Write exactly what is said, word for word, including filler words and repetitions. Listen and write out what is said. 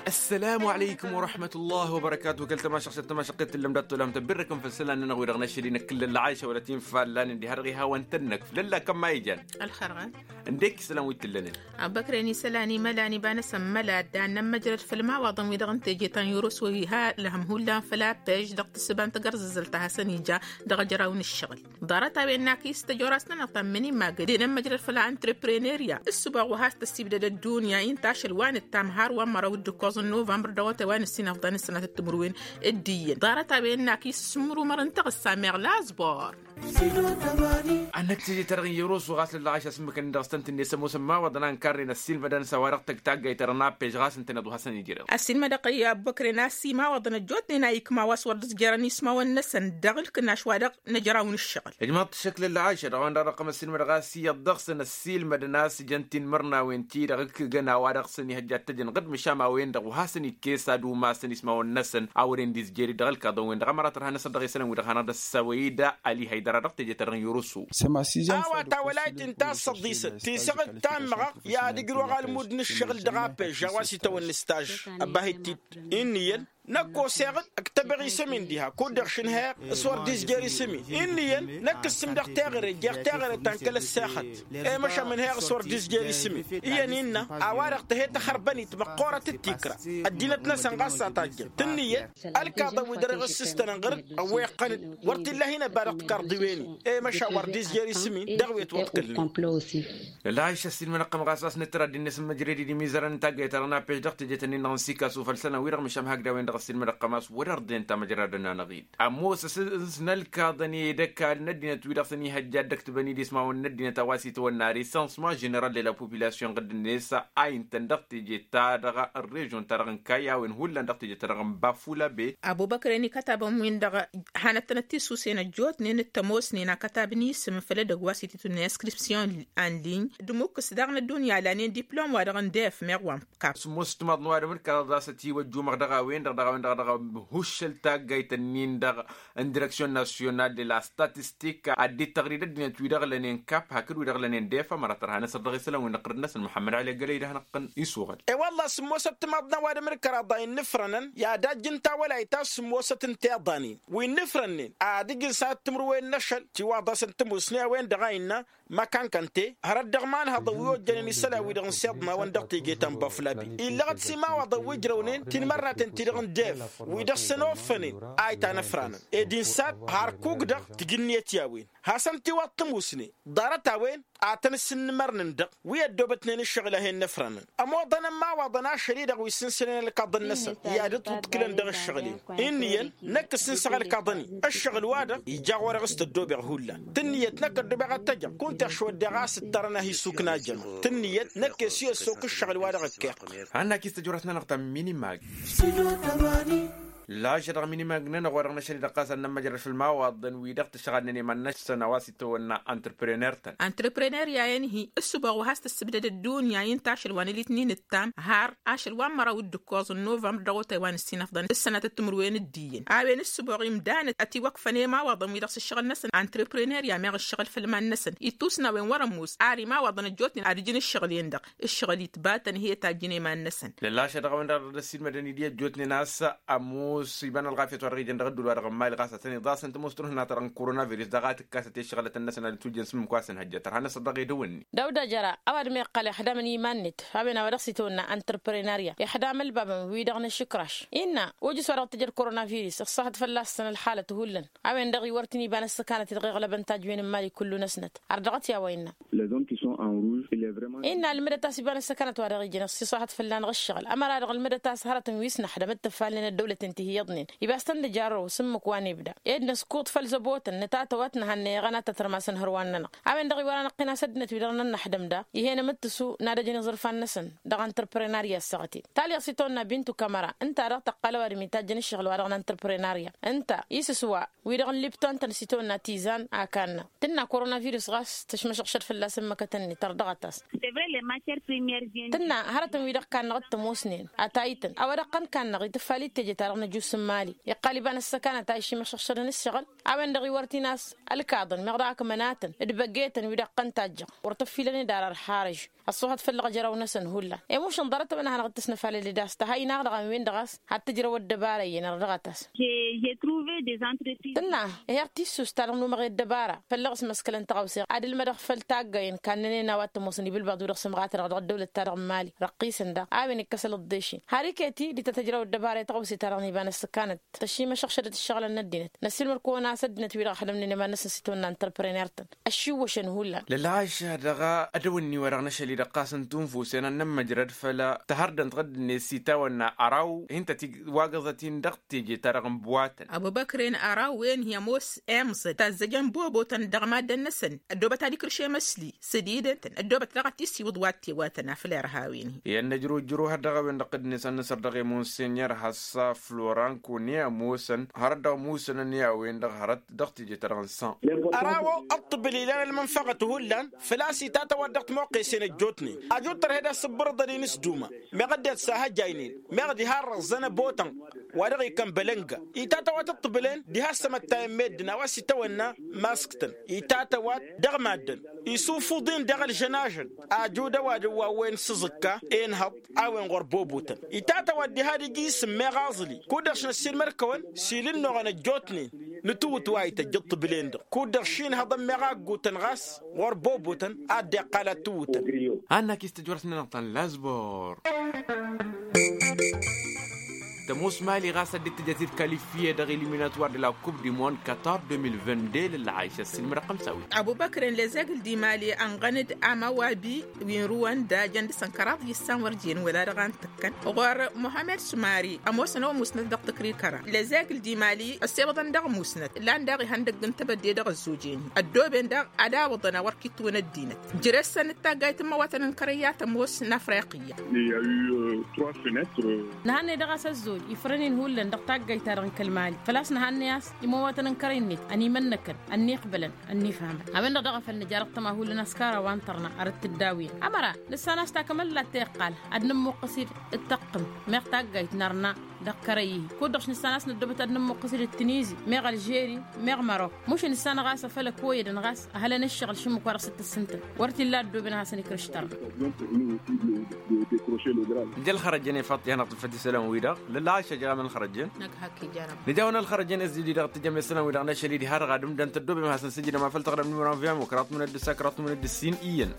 Ăssălamu alăykum wăraḥmătullah wăbărăkatu. Kăl-tămašăɣt tămašăɣt tǝllăm dat-tolăm tăbbirrăkăm făll-isălan-nănăɣ wi-dăɣ n-ašăl-i n-akǝllăn lăɣayša wăla tinfallan ǝndi har dăɣ-ihawăn-tăn-năkf lălla kămma ijan. Ălxărɣa. Ǝndek isălan wi t-ǝllănen. Abăkren isălan imălan iba-năsăn măla ăddan n-ămmăjrăd făll-imawaḍăn-wi-dăɣ n-teje ta n-yurǝs wi ha lăhăm hullan făll-appež dăɣ-tǝssǝba n-tagărzăzălt a hasăn-ija dăɣ-ejăraw n-ǝššăɣǝl. Ḍarăt-a-wen n-akis tăjorasnănăɣ ta n-mănimmagăd i-inămmăjrăd făll-antrepreneriya ǝssǝboɣ wa has-tăssibdăd ăddunya i n-tašăl wa nǝttam har wa n-măraw d-ǝkkoẓ n-novămbăr dăɣ-otay wa nǝssin afḍăn ǝssănatăt timǝrwen. D-iyyăn ḍarăt-a-wen n-akis s-imrumăr n-taɣǝssa meɣ lazbor. Ad-năkk teje-ta-dăɣ n-yăroso ɣas lălɣaš asǝmmǝkăn-in dăɣ-s tăn-tǝnne s-ămoosăn imawaḍăn a ǝnkarnen ăssiilmădăn s-a-wa-dăɣ tăgg taggayt-ta-dăɣ n-appež ɣas ǝntăneḍ wa hasăn-ijrăw. Ăssiilmădăɣ i-abbăkren a-s imawaḍăn ăjjootnen a ikma wa s-wăr dd-ǝzjărăn ismawăn-năsăn dăɣ-ǝlkǝnaš wa-dăɣ n-ejăraw n-ǝššăɣǝl. Ǝjmaḍ-t šăkk lălɣaš a dăɣ-a-wen-dăɣ dăɣ-tăm ăssiilmădăɣ a-s iyyăḍ dăɣ-săn ăssiilmădăn a-s jăn tinmărnawen-ti-dăɣ ǝkkǝgăn a-wa-dăɣ s-ănihăjja ad-tăjăn ɣǝd măšan a-wen-dăɣ wa hasăn-ikkes ad-umasăn ismawăn-năsăn a wăren d-izjeri dăɣ-ălkaḍăn-wen-dăɣ ămăra tărha n-asăr dăɣ-isălan-wi-dăɣ hanăɣ-dd-ăssawăy-dd ali haydăra dăɣ-teje-ta-dăɣ n-yurǝsu. A-wa tawălayt n-tassăḍisăt tisăɣǝd ta n-măɣăɣ i-ad-ǝjrăwăɣ almud n-ǝššăɣǝl dăɣ-appež a-wa s-itawănna s-taž ăbahit-t-dd. Inn'-iyyăn năkk oseɣ-dd ăktăbăɣ isăm-in diha kud-dăɣ šǝnhăyăɣ s-wăr dd-izjer isăm-in. Inn'-iyyăn năkk ǝssǝm dăɣ-teɣăre jer-teɣăre ta n-kăl-ăssexăt. I-măšan mǝnhăyăɣ s-wăr dd-izjer isăm-in iyyăn innă a-wa-dăɣ tăhe tăxărbănit măqqoorăt d-tikra. Ăddinăt-năsăn ɣas a tajjăn tǝnnǝyăt ălkaḍăn wi dăr-e ɣǝssǝstăn ănɣăr-dd ăwweqqăn-dd wăr t-illa hin-ăbba dăɣ-tikarḍiwen-i. I-măšan wăr dd-izjer isăm-in dăɣ-wet wăḍkǝlnen. Lălăɣayš ăssiilmănăɣ-tăm ɣas a-s nǝttăr ad-dd-innes n-măjrăd-i d-imizărăn n-taggayt-ta-dăɣ n-appež dăɣ-teje-tăn-in-dăɣ n-sikasu făll-isălan-wi-dăɣ măšan hakd a-wen-dăɣ ăssiilmănăɣ-tăm a-s wăr-ărdǝyăn tamăjrad-ănn-anăɣ-dd. Ămoos ăsǝns n-ălkaḍăn i-ed ăkall n-ăddinăt-wi-dăɣ s-ănihăjja ad-dd-ăktǝbăn-dd ismawăn n-ăddinăt a-wa s-itawănna recensement general de la population ɣǝdd-net a intăn dăɣ-teje-ta-dăɣ n-režon-ta-dăɣ n-kayy a-wen hullan dăɣ-teje-ta-dăɣ n-bafulabe. Abubăkren ikătabăn-win-dăɣ hanăt-tănăt-tisusen ăjjootnen d-tămoosnen akătab n-isǝm făll-edăgg wa s-ititǝnna inscription en ligne d-imukkǝs daɣ n-ăddunya lanen diplom-wa-dăɣ n-def meɣ wa n-kap. Sǝmmos timaḍ n-ăwadǝm d-kăraḍ a-s ătiwăjjumăɣ dăɣ-a-wen-dăɣ dăɣ-a-wen-dăɣ dăɣ-a-wen huššăl taggayt-ǝnnin-dăɣ n-direksyon nasyonal de la statistik ad-dd-tăɣri d-ăddinăt wi-dăɣ lănen kap hakd wi-dăɣ lănen def ămăra tărha n-asăr dăɣ-isălan wi n-iqqăr-năsăn muḥămmăd ali ăggălăy d-ad-hanăɣ-tăn-isuɣăl. E-wălla sǝmmosăt timaḍ n-ăwadǝm d-kăraḍ a innǝfrănăn i-ad-ajj n-tawălayt ta s-sǝmmosăt n-tiḍanin wi innǝfrănnen ad-ǝjǝn s-ad-tǝmrǝwen n-ašăl tiwaḍ-asăn tămusne a-wen-dăɣ a innă măkankăn-te hărăt dăɣ-imanhăḍăn wi ojjănen isălan-wi-dăɣ n-siḍmawăn dăɣ-teje ta n-baflabi illăɣăt s-imawaḍăn wi ǝjrăwnen tinmărnaten-ti-dăɣ n-def wi dăɣ-săn offănen a itanăfranăn ed insa har kuk-dăɣ tǝjǝnniyăt i-a-wen hasăn-t-iwăḍ tămusne ḍarăt-a-wen ad-tăn-ǝssǝnnǝmărnăn-dăɣ wi ăddoobătnen ǝššăɣǝl a hen-năfranăn. Ămoḍăn ămmawaḍăn ašăl-i-dăɣ wi s-ǝnsănen ălkaḍăn-năsăn i-ad-dd-tuḍkǝlăn dăɣ-ǝššăɣǝl-en. Inn'-iyyăn năkk ǝssǝnsăɣ ălkaḍăn-i ǝššăɣǝl-wa-dăɣ ija ɣur-e ɣas tăddobeɣ hullan tǝnniyăt năkk ăddobeɣ ad-t-ăjăɣ kunta ăšwăddeɣ a-s ǝttărăn ad-hi-issukna jăma tǝnniyăt năkk e-s i-ăssok ǝššăɣǝl-wa-dăɣ ăkkeɣ. Hanna-k-i s-tăjorăt-nănăɣ ta n-minimag. Lažădăɣ minimag-nănăɣ wa dăɣ-năšăl-i-dăɣ ɣas ad-nămmăjrăd făll-imawaḍăn-wi-dăɣ tǝšɣadnen iman-năsăn a-wa s-itawănna antreprenăr-tăn. Antreprenăr i-a-en-hi ǝssǝboɣ wa has-tăssǝbdăd ăddunya i n-tašăl wa n-elitnin ǝttam har ašăl wa n-măraw d-ǝkkoẓ n-novămbăr dăɣ-otay wa n-ǝssin afḍăn d-sănatăt timǝrwen d-iyyăn a-wen ǝssǝboɣ imdanăt ătiwăkfăn i-imawaḍăn-wi-dăɣ s-ǝššăɣǝl-năsăn antreprenăr i-a meɣ ǝššăɣǝl făll-iman-năsăn ittus n-a-wen wăr-ămoos ar imawaḍăn ăjjootnen ad-ǝjǝn ǝššăɣǝl-en-dăɣ ǝššăɣǝl itbatăn he-tajjǝn i-iman-năsăn. Lălla ašăl-dăɣ a-wen-dăɣ dăɣ-dd-ăssiilmădăn-dd i-ăjjootnen a-s ămoos iba n-ălɣafyăt wa dăɣ-ijăn dăɣ-ăddul wa dăɣ-ămmal ɣas ad-tăn-iḍasăn tămoos tunhǝnat-ta-dăɣ n-koronavirus daɣ a tǝkkasăt i-ăššăɣǝlăt-năsăn ad-ǝtwǝjjăn s-ǝmmǝk wa s-ănhăjja tărha-năsăt dăɣ-edăwănni. Dăw-dd-ajăra ăwadǝm iqqăl ixdamăn iman-net a-wen a-wa dăɣ-s itawănna antreprenarya ixdam ălbabăn-wi-dăɣ n-ašǝkraš innă ojǝs wa dăɣ-tǝjăd koronavirus iṣṣahăt fălla-săn ălxalăt hullan. A-wen-dăɣ iwăr tăn-iba n-ăssăkanăt i-dăɣ iɣlăbăn tajwen n-imali kullu-năsnăt. Ardăɣăt i-a-wa innă. Innă ălmǝdăt a-s iba n-ăssăkanăt wa dăɣ-ijăn ăssiṣaḥăt fălla-năɣ ǝššăɣǝl ămăra-dăɣ ălmǝdăt a-s hărătăn wi s-năxdăm d-tǝfalnen ăddăwlăten ti hi-iyyăḍnen. Iba s-tăn-dd-jarrăw s-ǝmmǝk wa n-ibda ed năskuḍ făll-zăbotăn nǝtatăwăt nǝhănnăyăɣăn ad-tătrămasăn hărwan-nănăɣ. A-wen-dăɣ iwăr-anăɣ-t-in a-s ăddinăt wi-dăɣ n-ănnăxdăm da ih'-en amǝttǝsu n-ad-ăjǝn iẓrǝfan-năsăn dăɣ-antreprenarya ăssaɣăten. Talyaẓ s-itawănna bintu kamăra ǝnta-dăɣ tăqqal ăwadǝm itajjăn ǝššăɣǝl-wa-dăɣ n-antreprenarya ǝnta isǝswa wi-dăɣ n-lipton-tăn s-itawănna tizan a kannă tǝnna koronavirus ɣas tăšmăšăɣšăd fălla-s ǝmmǝkătăn-net ărdăɣăt-as. Tǝnna hărătăn-wi-dăɣ kannăɣ d-tămoosnen atayǝtăn a-wa dăɣ-tăn-kannăɣ itǝffal-i d-teje-ta-dăɣ n-ăjuss n-imali. Iqqal iba n-ăssăkanăt a išimăšăɣšădăn ǝššăɣǝl a-wen-dăɣ iwăr t-in a-s ălkaḍăn meɣ dăɣ-akmănatăn d-băggetăn wi dăɣ-tăn-tajjăɣ wăr t-ăffilăn d-ara ărharăž. ăṣṣuhăt făll-iɣjăraw-năsăn hullan. Emušăn ḍarăt-wăn a hanăɣ-dd-tăsnăfalăl d-a-s tăha inaɣ-dăɣ a-wen-dăɣ a-s had-tǝjrăw ăddăbara iyyăn ărdăɣăt-as. Tǝnna, ehăɣ tissust-ta-dăɣ n-umăɣ i-ăddăbara făll-iɣ s-măskălăn tăɣawse ad-ǝlmădăɣ făll-taggayen kannănen a-wa t-ămoosăn ibilbaḍ-wi-dăɣ s-ǝmɣatădăɣ dăɣ-ăddăwlăt-ta-dăɣ n-imali răqqisăn daɣ a-wen ikkăsăl ǝḍḍešin. Har iket-i d-tăt-ăjrăw ăddăbara i-tăɣawse-ta-dăɣ n-iba n-ăssǝkkanăt tăšimăšăɣšădăt ǝššăɣǝlăn n-ăddinăt. Năssiilmăd-kăwăn a-s ăddinăt-wi-dăɣ ăxdămnen iman-năsăn s-itawănna n-tărprăner-tăn. Ăššiwwăšăn hullan. Lălɣaša dăɣ-a ădăwănni-wa-dăɣ n-ašăl-i-dăɣ ɣas n-tunfusen ad-nămmăjrăd făll-tahărdănt ɣǝddǝnet s-itawănna ăraw hin-tăt-dd-wagăẓăt-in dăɣ-teje-ta-dăɣ n-buwatăn. Abubăkren ăraw-en hi-ămoos emẓăd tazzăjăn bobotăn dăɣ-maddăn-năsăn. Ăddoobăt ad-ikrǝš emăsli sădidăn-tăn ăddoobăt daɣ ad-t-issiwǝḍ wa t-tewatăn afăl irhawen-hi. Iyyăn năjrujru har dăɣ-a-wen-dăɣ ɣǝddǝnet ad-nǝsăr dăɣ-e monsenyăr hassa floranko n-i ămoosăn hărăt dăɣ-musǝnăn i-a-wen-dăɣ hărăt dăɣ-teje-ta-dăɣ n-san. Ăraw ăṭṭǝbǝl ilan ălmănfăɣăt hullan făl-a-s itatăwat dăɣ-timoqqesen ăjjootnen. Ăjut tărhed asǝbbărăḍăn-in s-duma meɣ ăddinăt s-ahăjjaynen meɣ diha ărrăẓẓăn abotănɣ wa dăɣ-ikăn bălănga. Itatăwat ǝṭṭǝbǝlen diha ăssămăttayăn meddǝn a-wa s-itawănna mask-tăn itatăwat dăɣ-maddǝn. Isufuḍ-in dăɣ-ălžănažăn ajud ăwadǝm wa n-wen s-aẓǝkka enhăḍ a-wen ɣur-bobotăn. Itatăwat diha ad-ija isǝm meɣ aẓǝli kud-dăɣ šnăssiilmăd-kăwăn s-ilǝnnoɣăn ăjjootnen. Nǝtǝwǝt wa ităjj ǝṭṭǝbǝlen-dăɣ kud-dăɣ šinhăḍăn meɣ a ǝggutăn ɣas ɣur-bobotăn. Ad-dd-iqqal ad-tǝwǝtăn. Hanna-k istăjwăr-s-nănăɣ ta n-lazbor. Tămoos mali ɣas ad-dd-tǝjăt-dd kalifye dăɣ-iliminatwar d-la kup di mond katar d-mil vin d-lălɣayš ăssiilmădăɣ xămsawi. Abubăkren lezegl d-imali ănɣăn-dd amawabi wi n-ruwăn d-ajăn dăɣ-săn kăraḍ yǝssan wăr jen wăla dăɣ-antăkkăn ɣur-muhammed sumari. Ămoosăn a-wa musnăt dăɣ-tǝkrikăra lezegl d-imali ăssewăḍăn dăɣ-musnăt. Lan daɣ ihăndăgg n-tebădde dăɣ-ăzzoj-en-hi ăddooben daɣ ad-awǝḍăn a wăr kitwăn ăddinăt. Jere-săn d-taggayt n-imăwatăn n-kărăy i-ad-tămoos n-afriqiyya. Nǝhannăy dăɣ-a-s ăzzoj ifrăn-in hullan dăɣ-taggayt-ta-dăɣ n-kăl-mali făl-a-s nǝhannăy a-s imăwatăn n-kărăy-net ănimănnăkăn ănniqbălăn ănnifhamăn. A-wen-dăɣ daɣ a făl nǝja dăɣ-tăma hullan a-s kăraw wa n-tărna arăt tǝddawǝyăn ămăra nǝssan a-s takămăllat ta iqqal ad-nǝmmuqqǝs-dd ǝttăqqǝm meɣ taggayt nărna dăɣ-kărăy-ihi kud-dăɣ š-nǝssan a-s năddobăt ad-nǝmmuqqǝs-dd d-tunizi meɣ ălžeri meɣ mărok. Mušǝn ǝssan ɣas a făl ăkoyădăn ɣas ăhălăn ǝššăɣǝl šǝmmǝk-wa-dăɣ s-dd-tǝssǝntăn wăr t-illa ăddooben a hasăn-ikrǝš tărna. Nǝja ălxărăjăn i-faḍt i-hanăɣ-tǝlfăt isălan-wi-dăɣ lălɣayša jăɣ amăn ălxărăjăn. Nǝja a-wen ălxărăjăn ăzzidi-dăɣ tǝjăm isălan-wi-dăɣ n-ašăl-i diha-dăɣ ad-ǝmdăn tăddoobem ad-hasăn-sǝjǝdăm afăl tăɣrăm n-imran viyam wa kăraḍ tǝmǝnăt d-ǝssa kăraḍ tǝmǝnăt d-ǝssin iyyăn.